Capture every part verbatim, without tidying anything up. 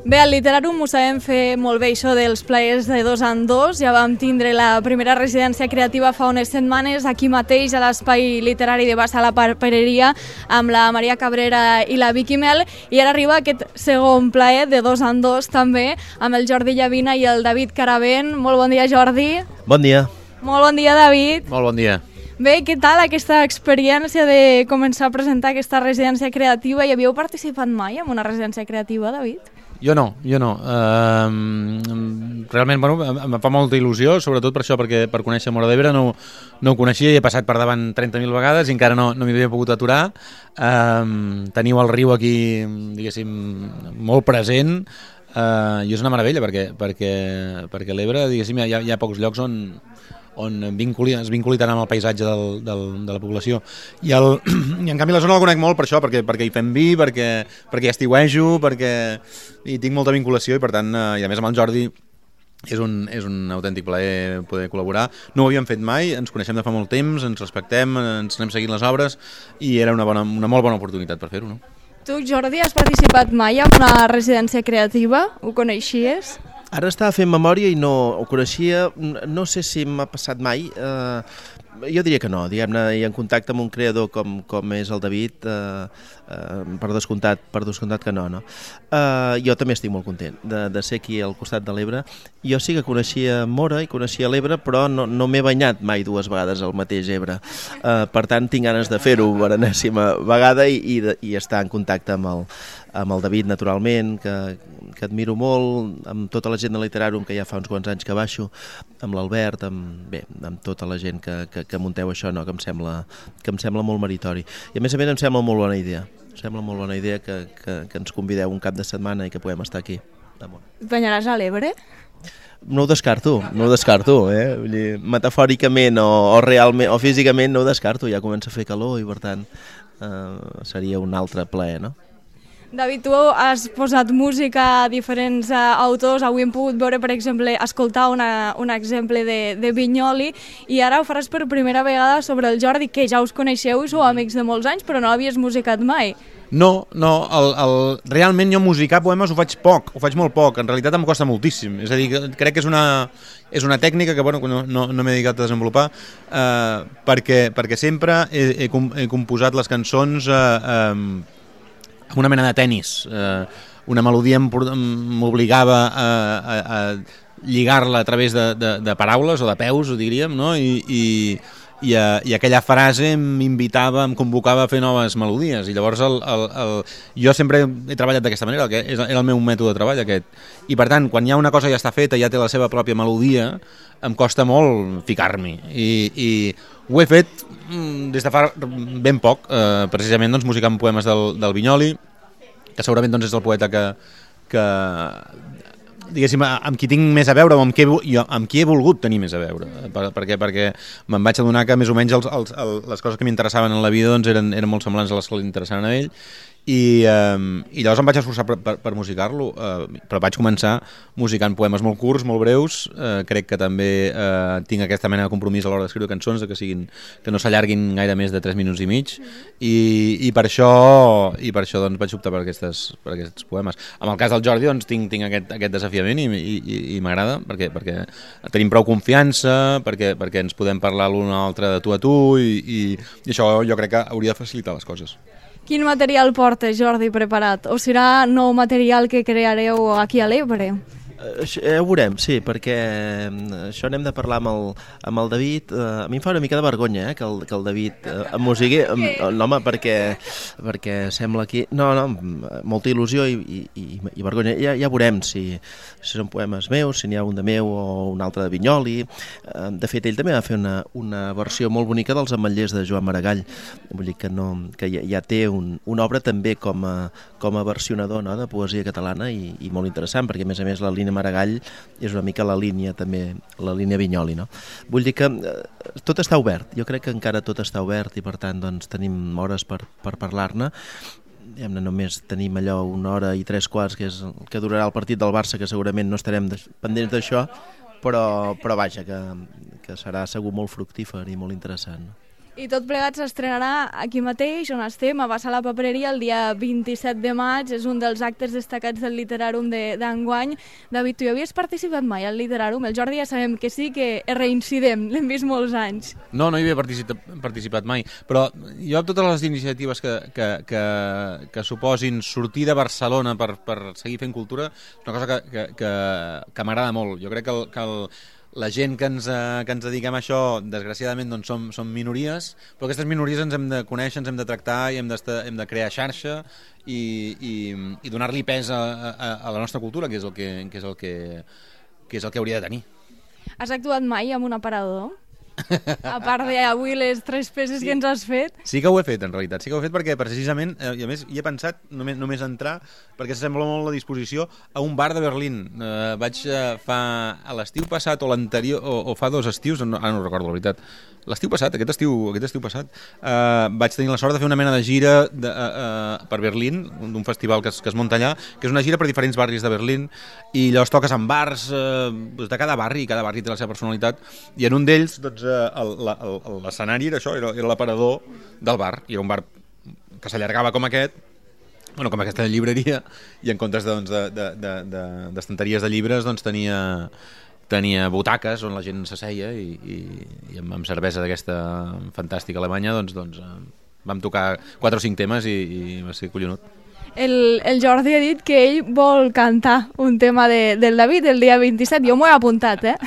Bé, al Literàrum ho sabem fer molt bé, això dels plaers de dos en dos. Ja vam tindre la primera residència creativa fa unes setmanes aquí mateix a l'Espai Literari de Bassa a la Papereria amb la Maria Cabrera i la Vicky Mel, i ara arriba aquest segon plaer de dos en dos també amb el Jordi Llavina i el David Caravent. Molt bon dia, Jordi. Bon dia. Molt bon dia, David. Molt bon dia. Bé, què tal aquesta experiència de començar a presentar aquesta residència creativa? Hi havíeu participat mai en una residència creativa, David? Jo no, jo no. Uh, realment, bueno, em fa molta il·lusió, sobretot per això, perquè per conèixer Móra d'Ebre no, no ho coneixia i he passat per davant trenta mil vegades i encara no, no m'hi havia pogut aturar. Uh, teniu el riu aquí, diguéssim, molt present, uh, i és una meravella perquè, perquè, perquè l'Ebre, diguéssim, hi ha, hi ha pocs llocs on on vinculi, es vinculi tant amb el paisatge del, del, de la població. I, el, I en canvi la zona la conec molt per això, perquè, perquè hi fem vi, perquè, perquè hi estiuejo, perquè hi tinc molta vinculació i per tant, eh, i a més amb el Jordi és un, és un autèntic plaer poder col·laborar. No ho havíem fet mai, ens coneixem de fa molt temps, ens respectem, ens anem seguint les obres i era una, bona, una molt bona oportunitat per fer-ho, no? Tu, Jordi, has participat mai en una residència creativa? Ho coneixies? Ara estava fent memòria i no ho coneixia, no sé si m'ha passat mai, eh, jo diria que no, diguem-ne, i en contacte amb un creador com, com és el David, eh, eh, per descomptat, per descomptat que no, no. Eh, jo també estic molt content de, de ser aquí al costat de l'Ebre. Jo sí que coneixia Móra i coneixia l'Ebre, però no, no m'he banyat mai dues vegades al mateix Ebre. Eh, per tant, tinc ganes de fer-ho per enèsima vegada i, i, de, i estar en contacte amb el, amb el David, naturalment, que, que admiro molt, amb tota la gent de Literàrum, que ja fa uns quants anys que baixo, amb l'Albert, amb, bé, amb tota la gent que, que, que munteu això, no? que, em sembla, que em sembla molt meritori. I a més a més em sembla molt bona idea, em sembla molt bona idea que, que, que ens convideu un cap de setmana i que puguem estar aquí. Et banyaràs a l'Ebre? No ho descarto, no ho descarto, eh? Vull dir, metafòricament o, o realment o físicament no ho descarto, ja comença a fer calor i per tant eh, seria un altre plaer, no? David, tu has posat música a diferents uh, autors. Avui hem pogut veure, per exemple, escoltar una, un exemple de, de Vinyoli, i ara ho faràs per primera vegada sobre el Jordi, que ja us coneixeu i sou amics de molts anys, però no l'havies musicat mai. No, no, el, el, realment jo musicar poemes ho faig poc, ho faig molt poc, en realitat em costa moltíssim, és a dir, crec que és una, és una tècnica que bueno, no, no, no m'he dedicat a desenvolupar, eh, perquè, perquè sempre he, he, he composat les cançons eh, eh, amb una mena de tennis, eh, una melodia m'obligava a, a, a lligar-la a través de, de, de paraules o de peus, ho diríem, no? I, i, i, a, i aquella frase m'invitava, em convocava a fer noves melodies, i llavors el, el, el, jo sempre he treballat d'aquesta manera, que és, era el meu mètode de treball aquest, i per tant, quan hi ha una cosa ja està feta, ja té la seva pròpia melodia, em costa molt ficar-m'hi, i, i ho he fet des de fa ben poc, eh, precisament doncs, musicant poemes del, del Vinyoli, que segurament doncs, és el poeta que, que diguéssim, amb qui tinc més a veure o amb qui, jo, amb qui he volgut tenir més a veure, per, perquè, perquè me'n vaig adonar que més o menys els, els, el, les coses que m'interessaven en la vida doncs, eren, eren molt semblants a les que li interessaven a ell. I, eh, i llavors em vaig esforçar per, per, per musicar-lo, eh, però vaig començar musicant poemes molt curts, molt breus, eh, crec que també eh, tinc aquesta mena de compromís a l'hora d'escriure cançons, de que, siguin, que no s'allarguin gaire més de tres minuts i mig, i, i per això, i per això doncs, vaig optar per, aquestes, per aquests poemes. En el cas del Jordi doncs, tinc, tinc aquest, aquest desafiament i, i, i m'agrada, perquè, perquè tenim prou confiança, perquè, perquè ens podem parlar l'un a l'altre de tu a tu, i, i, i això jo crec que hauria de facilitar les coses. Quin material porta, Jordi, preparat? O serà nou material que creareu aquí a l'Ebre? Ja ho veurem, sí, perquè això n'hem de parlar amb el, amb el David. A mi em fa una mica de vergonya eh, que, el, que el David em musigui, home, perquè, perquè sembla aquí... No, no, molta il·lusió i, i, i vergonya. Ja, ja veurem si, si són poemes meus, si n'hi ha un de meu o un altre de Vinyoli. De fet, ell també va fer una, una versió molt bonica dels Ametllers de Joan Maragall. Vull dir que, no, que ja, ja té un, una obra també com a, com a versionador, no?, de poesia catalana i, i molt interessant, perquè a més a més la línia Maragall és una mica la línia també, la línia Vinyoli, no? Vull dir que eh, tot està obert, jo crec que encara tot està obert i per tant doncs tenim hores per, per parlar-ne. Diguem-ne, només tenim allò una hora i tres quarts que és el que durarà el partit del Barça, que segurament no estarem pendents d'això, però, però vaja, que, que serà segur molt fructífer i molt interessant. I tot plegat s'estrenarà aquí mateix, on estem, a Bassa la Papereria, el dia vint-i-set de maig. És un dels actes destacats del Literàrum d'enguany. David, tu hi havies participat mai al Literàrum? El Jordi ja sabem que sí, que reincidem, l'hem vist molts anys. No, no hi havia participat, participat mai, però jo amb totes les iniciatives que, que, que, que suposin sortir de Barcelona per, per seguir fent cultura, és una cosa que, que, que, que m'agrada molt. Jo crec que, el, que el, la gent que ens, que ens dediquem a això, desgraciadament, doncs som, som minories, però aquestes minories ens hem de conèixer, ens hem de tractar i hem, hem de crear xarxa i, i, i donar-li pes a, a, a la nostra cultura, que és el que, que, és el que, que és el que hauria de tenir. Has actuat mai amb un aparador? A part d'avui les tres peces sí. que ens has fet. Sí que ho he fet, en realitat. Sí que ho he fet perquè precisament, eh, i a més hi he pensat només, només entrar, perquè s'assembla molt la disposició a un bar de Berlín. Eh, vaig eh, fa a l'estiu passat o l'anterior, o, o fa dos estius, no, ara no recordo la veritat, l'estiu passat, aquest estiu, aquest estiu passat, eh, vaig tenir la sort de fer una mena de gira de, eh, eh, per Berlín, d'un festival que es, que es munta allà, que és una gira per diferents barris de Berlín, i llavors toques en bars eh, de cada barri, i cada barri té la seva personalitat, i en un d'ells, doncs, l'escenari era això, era, era l'aparador del bar, i era un bar que s'allargava com aquest, bueno, com aquesta llibreria, i en comptes doncs, de, de, de, de, d'estanteries de llibres doncs, tenia, tenia butaques on la gent s'asseia i, i, i amb, amb cervesa d'aquesta fantàstica alemanya doncs, doncs, vam tocar quatre o cinc temes i, i va ser collonut. El, el Jordi ha dit que ell vol cantar un tema de, del David el dia vint-i-set, jo m'ho he apuntat, eh?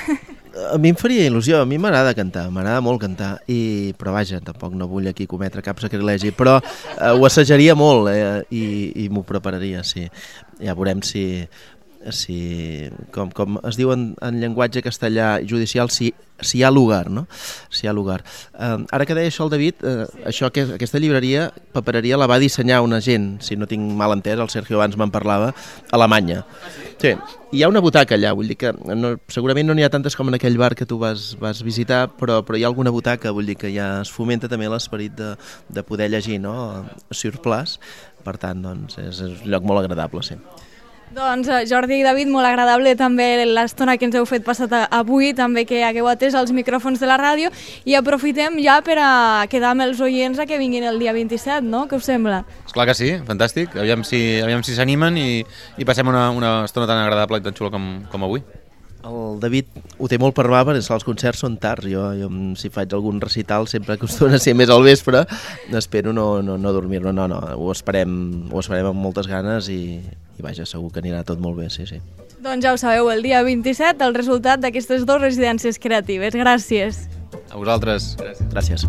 A mi em faria il·lusió, a mi m'agrada cantar, m'agrada molt cantar, i, però vaja, tampoc no vull aquí cometre cap sacrilegi, però eh, ho assajaria molt eh, i, i m'ho prepararia, sí. Ja veurem si, si com, com es diu en, en llenguatge castellà judicial, si, si hi ha lugar, no? Si hi ha lugar. Eh, ara que deia això el David, eh, això, que, aquesta llibreria, Papereria, la va dissenyar una gent, si no tinc mal entès, el Sergio abans me'n parlava, a Alemanya. Sí, hi ha una butaca allà, vull dir que no, segurament no n'hi ha tantes com en aquell bar que tu vas, vas visitar, però, però hi ha alguna butaca, vull dir que ja es fomenta també l'esperit de, de poder llegir, no?, sur place, per tant, doncs, és, és un lloc molt agradable, sí. Doncs Jordi i David, molt agradable també l'estona que ens heu fet passat avui, també que hagueu atès els micròfons de la ràdio, i aprofitem ja per a quedar amb els oients a que vinguin el dia vint-i-set, no? Què us sembla? Esclar que sí, fantàstic, aviam si aviam si s'animen i, i passem una, una estona tan agradable i tan xula com, com avui. El David ho té molt per mà, perquè els concerts són tards. Jo, jo si faig algun recital sempre acostuma a ser més al vespre, espero no, no, no dormir-me. No, no, ho esperem, ho esperem amb moltes ganes i, i vaja, segur que anirà tot molt bé, sí, sí. Doncs ja ho sabeu, el dia vint-i-set el resultat d'aquestes dues residències creatives. Gràcies. A vosaltres. Gràcies. Gràcies.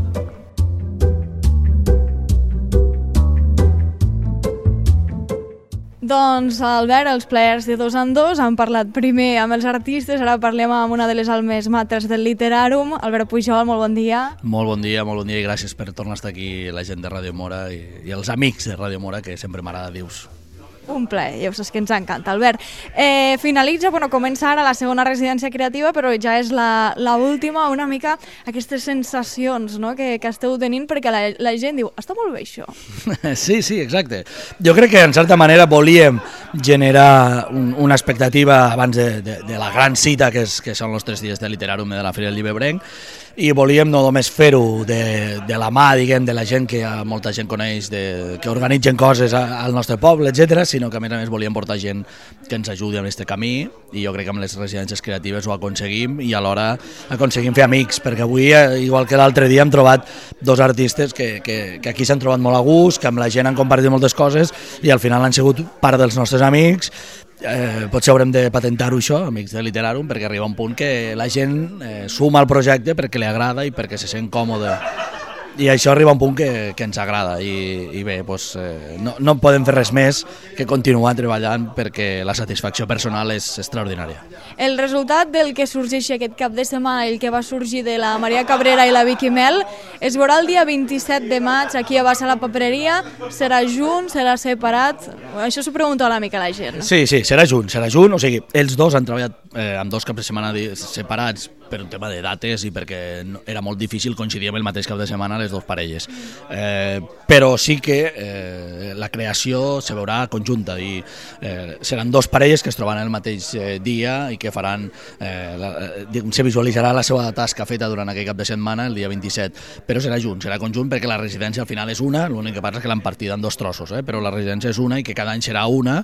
Doncs, Albert, els players de dos en dos han parlat primer amb els artistes, ara parlem amb una de les almes matres del Literàrum. Albert Pujol, molt bon dia. Molt bon dia, molt bon dia i gràcies per tornar a estar aquí la gent de Ràdio Mora i, i els amics de Ràdio Mora, que sempre m'agrada dir-vos. Un plaer, ja ho saps que ens encanta, Albert. Eh, finalitza, bueno, comença ara la segona residència creativa, però ja és la, la última, una mica aquestes sensacions, no?, que, que esteu tenint, perquè la, la gent diu, està molt bé això. Sí, sí, exacte. Jo crec que en certa manera volíem generar un, una expectativa abans de, de, de la gran cita que, és, que són els tres dies de Literàrum de la Fira del Llibrebrenc, i volíem no només fer-ho de, de la mà, diguem, de la gent que molta gent coneix, de, que organitzen coses a, al nostre poble, etcètera, sinó que a més a més volíem portar gent que ens ajudi en aquest camí, i jo crec que amb les residències creatives ho aconseguim, i alhora aconseguim fer amics, perquè avui, igual que l'altre dia, hem trobat dos artistes que, que, que aquí s'han trobat molt a gust, que amb la gent han compartit moltes coses, i al final han sigut part dels nostres amics. Eh, potser haurem de patentar-ho això, amics de Literàrum, perquè arriba un punt que la gent eh, suma al projecte perquè li agrada i perquè se sent còmode, i això arriba a un punt que, que ens agrada, i, i bé, doncs, eh, no, no podem fer res més que continuar treballant, perquè la satisfacció personal és extraordinària. El resultat del que sorgeix aquest cap de setmana, el que va sorgir de la Maria Cabrera i la Vicky Mel, es veurà el dia vint-i-set de maig aquí a Bassa la Papereria. Serà junt, serà separat? Això s'ho pregunta una mica la gent. Sí, sí, serà junt, serà junt, o sigui, els dos han treballat eh, amb dos caps de setmana separats per un tema de dates i perquè era molt difícil coincidir amb el mateix cap de setmana les dues parelles. Eh, però sí que eh, la creació se veurà conjunta i eh, seran dos parelles que es trobaran el mateix eh, dia i que faran, eh, la, se visualitzarà la seva tasca feta durant aquell cap de setmana el dia vint-i-set, però serà junt, serà conjunt perquè la residència al final és una, l'únic que passa és que l'han partida en dos trossos, eh, però la residència és una i que cada any serà una.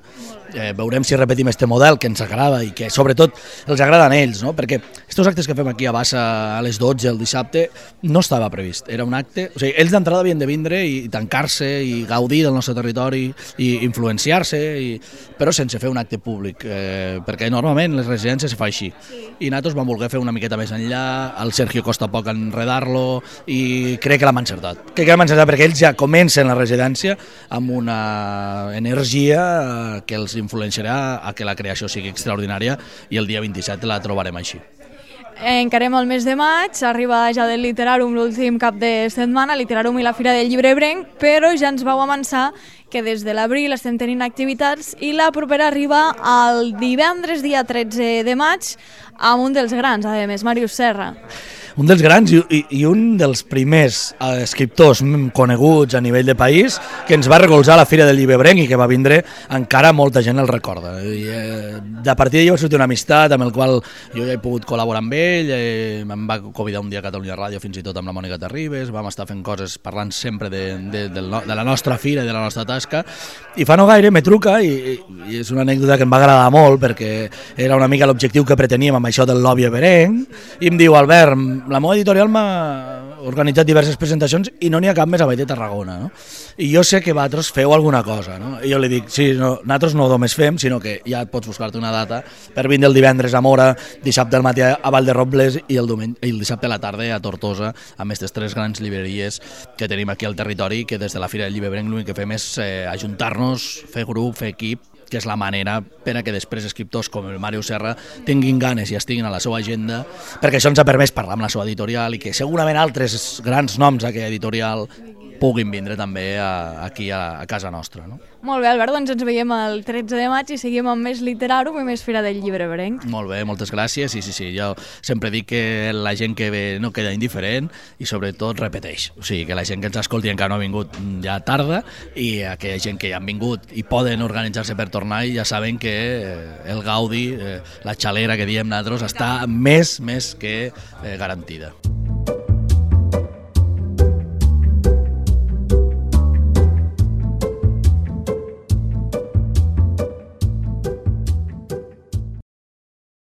Eh, veurem si repetim este model que ens agrada i que sobretot els agraden a ells, no? Perquè estos actes que fem aquí a Bassa a les dotze el dissabte no estava previst, era un acte, o sigui, ells d'entrada havien de vindre i tancar-se i gaudir del nostre territori i influenciar-se, i... però sense fer un acte públic, eh, perquè normalment les residències se fa així, i nosaltres vam voler fer una miqueta més enllà, el Sergio costa poc enredar-lo i crec que l'hem encertat, crec que l'hem encertat perquè ells ja comencen la residència amb una energia que els influenciarà a que la creació sigui extraordinària i el dia vint-i-set la trobarem així. Encarem el mes de maig, arriba ja del Literàrum l'últim cap de setmana, Literàrum i la Fira del Llibre Ebrenc, però ja ens vau avançar que des de l'abril estem tenint activitats i la propera arriba el divendres dia tretze de maig amb un dels grans, a més, Màrius Serra. Un dels grans i, i, i un dels primers eh, escriptors coneguts a nivell de país que ens va recolzar a la Fira del Llibre Ebrenc i que va vindre, encara molta gent el recorda. I, eh, de partir d'allò va sortir una amistat amb el qual jo ja he pogut col·laborar amb ell, eh, em va convidar un dia a Catalunya Ràdio fins i tot amb la Mònica Terribas, vam estar fent coses parlant sempre de, de, de, de la nostra fira i de la nostra tasca, i fa no gaire me truca i, i és una anècdota que em va agradar molt perquè era una mica l'objectiu que preteníem amb això del lobby ebrenc i em diu: Albert, la meva editorial m'ha organitzat diverses presentacions i no n'hi ha cap més a Vall de Tarragona, no? I jo sé que vosaltres feu alguna cosa, no? I jo li dic, sí, no, nosaltres no només fem, sinó que ja pots buscar-te una data per vindre el divendres a Mora, dissabte al matí a Vall de Robles i el, diumenge, i el dissabte a la tarda a Tortosa, amb aquestes tres grans llibreries que tenim aquí al territori, que des de la Fira del Llibre Ebrenc l'únic que fem és eh, ajuntar-nos, fer grup, fer equip, que és la manera per a que després escriptors com el Màrius Serra tinguin ganes i estiguin a la seva agenda, perquè això ens ha permès parlar amb la seva editorial i que segurament altres grans noms d'aquella editorial puguin vindre també a, aquí a, a casa nostra, no? Molt bé, Albert, doncs ens veiem el tretze de maig i seguim amb més Literàrum i més Fira del Llibre Ebrenc. Molt bé, moltes gràcies. Sí, sí, sí, jo sempre dic que la gent que ve no queda indiferent i sobretot repeteix. O sigui, que la gent que ens escolti encara no ha vingut ja tarda i aquella gent que ja han vingut i poden organitzar-se per tornar i ja saben que el gaudi, la xalera que diem nosaltres, està més, més que garantida.